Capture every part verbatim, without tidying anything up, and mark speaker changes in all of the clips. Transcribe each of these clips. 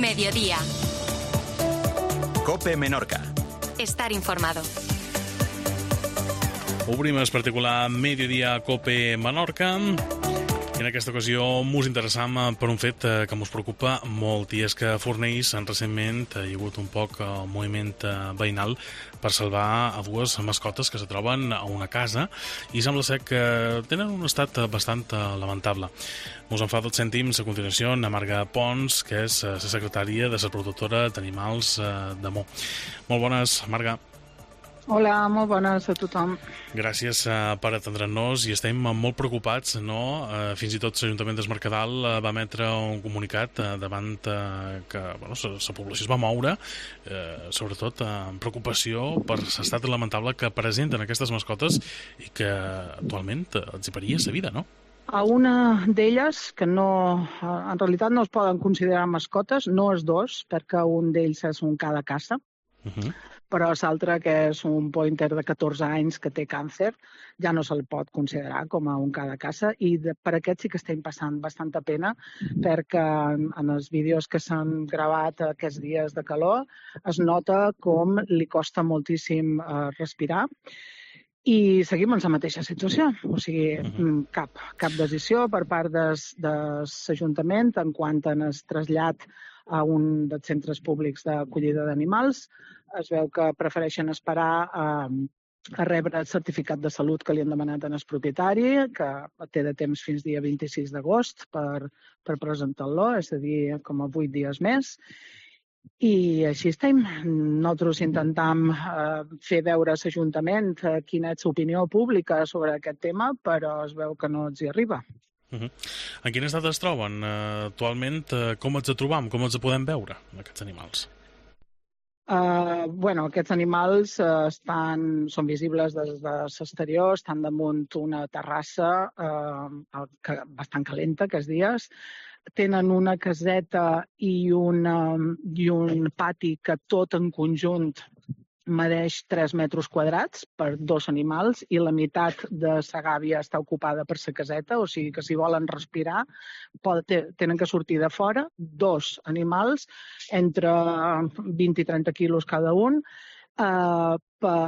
Speaker 1: Mediodía.
Speaker 2: COPE Menorca.
Speaker 1: Estar informado.
Speaker 3: Obrim el particular Mediodía COPE Menorca. I en aquesta ocasió mos interessam per un fet que mos preocupa molt, i és que a Fornells recentment hi ha hagut un poc el moviment veïnal per salvar a dues mascotes que se troben a una casa i sembla ser que tenen un estat bastant lamentable. Mos en fa dos cèntims a continuació a Marga Pons, que és la secretària de la productora d'animals de Mo. Molt bones, Marga.
Speaker 4: Hola, molt bones a tothom.
Speaker 3: Gràcies uh, per atendre'ns i estem molt preocupats, no? Uh, fins i tot l'Ajuntament de Mercadal uh, va emetre un comunicat uh, davant uh, que bueno, la població es va moure, uh, sobretot uh, amb preocupació per l'estat lamentable que presenten aquestes mascotes i que actualment uh, els hi peria la vida, no?
Speaker 4: A una d'elles, que no, en realitat no es poden considerar mascotes, no és dos, perquè un d'ells és un ca de caça, uh-huh. Però l'altre, que és un pointer de catorze anys que té càncer, ja no se'l pot considerar com a un ca de caça, i de, per aquest sí que estem passant bastanta pena, perquè en, en els vídeos que s'han gravat aquests dies de calor es nota com li costa moltíssim eh, respirar, i seguim en la mateixa situació, o sigui, cap, cap decisió per part des, de l'Ajuntament en quant a el trasllat a un dels centres públics d'acollida d'animals. Es veu que prefereixen esperar a, a rebre el certificat de salut que li han demanat al propietari, que té de temps fins dia vint-i-sis d'agost per, per presentar-lo, és a dir, com a vuit dies més. I així estem. Nosaltres intentam eh, fer veure a l'Ajuntament eh, quina és l'opinió pública sobre aquest tema, però es veu que no els hi arriba.
Speaker 3: Uh-huh. En quin estat es troben uh, actualment? Uh, com els trobam? Com els podem veure, aquests animals?
Speaker 4: Uh, bueno, aquests animals uh, estan, són visibles des de l'exterior, estan damunt una terrassa uh, que, bastant calenta aquests dies. Tenen una caseta i, una, i un pati que tot en conjunt medeix tres metres quadrats per dos animals i la meitat de la gàbia està ocupada per la caseta, o sigui que si volen respirar pot, tenen que sortir de fora dos animals entre vint i trenta quilos cada un eh, per,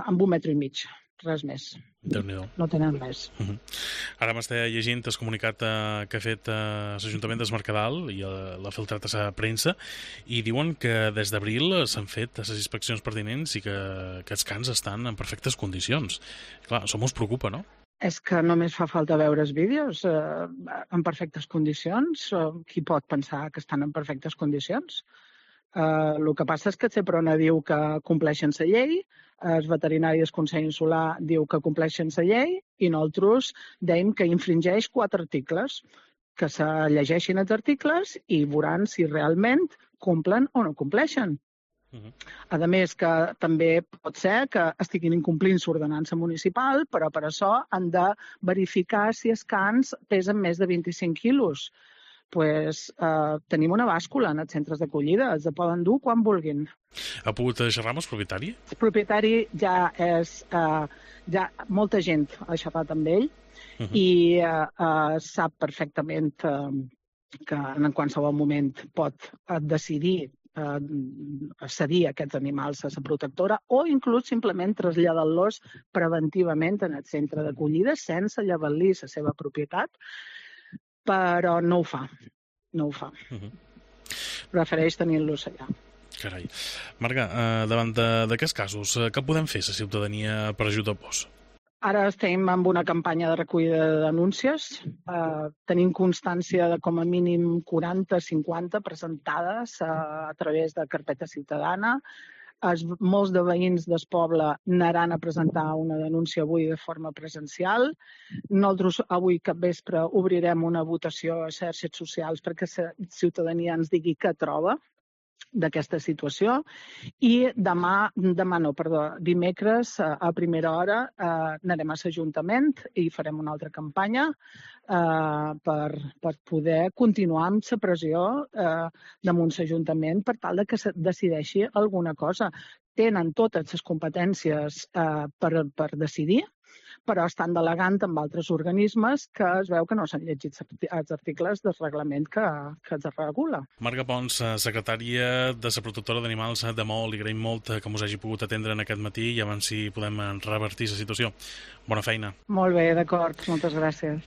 Speaker 4: amb un metre i mig, res més.
Speaker 3: Déu-n'hi-do.
Speaker 4: No tenen res.
Speaker 3: Uh-huh. Ara m'està llegint el comunicat uh, que ha fet uh, l'Ajuntament de Mercadal i uh, l'ha filtrat a la premsa i diuen que des d'abril s'han fet les inspeccions pertinents i que aquests cans estan en perfectes condicions. Clar, això mos preocupa, no?
Speaker 4: És que només fa falta veure els vídeos eh, en perfectes condicions. Qui pot pensar que estan en perfectes condicions? Uh, el que passa és que el Seprona diu que compleixen la llei, el veterinari del Consell Insular diu que compleixen la llei i nosaltres dèiem que infringeix quatre articles, que se llegeixin els articles i veuran si realment complen o no compleixen. Uh-huh. A més, que també pot ser que estiguin incomplint l'ordenança municipal, però per això han de verificar si els cans pesen més de vint-i-cinc quilos. Pues, eh, tenim una bàscula en els centres d'acollida, els poden dur quan vulguin.
Speaker 3: Ha pogut xerrar amb el propietari? El
Speaker 4: propietari ja és... Eh, ja molta gent ha xerrat amb ell uh-huh. i eh, eh, sap perfectament eh, que en qualsevol moment pot eh, decidir eh, cedir aquests animals a la protectora o inclús simplement traslladar-los preventivament en el centre d'acollida sense llevar-li la seva propietat, però no ho fa, no ho fa. Uh-huh. Prefereix tenir-los allà.
Speaker 3: Carai. Marga, eh, davant d'aquests casos, eh, què podem fer la ciutadania per ajudar vos?
Speaker 4: Ara estem amb una campanya de recollida de denúncies. Eh, tenim constància de com a mínim quaranta cinquanta presentades eh, a través de carpeta ciutadana. Els, molts de veïns del poble anaran a presentar una denúncia avui de forma presencial. Nosaltres avui cap vespre obrirem una votació a xarxes socials perquè la ciutadania ens digui què troba d'aquesta situació i demà, demà no, perdó, dimecres a primera hora eh, anarem a l'Ajuntament i farem una altra campanya eh, per, per poder continuar amb la pressió eh, damunt l'Ajuntament per tal de que se decideixi alguna cosa. Tenen totes les competències eh, per, per decidir, però estan delegant amb altres organismes que es veu que no s'han llegit els articles del reglament que, que es regula.
Speaker 3: Marga Pons, secretària de la Protectora d'Animals de Maó, li agraïm molt que us hagi pogut atendre en aquest matí i abans si podem revertir la situació. Bona feina.
Speaker 4: Molt bé, d'acord. Moltes gràcies.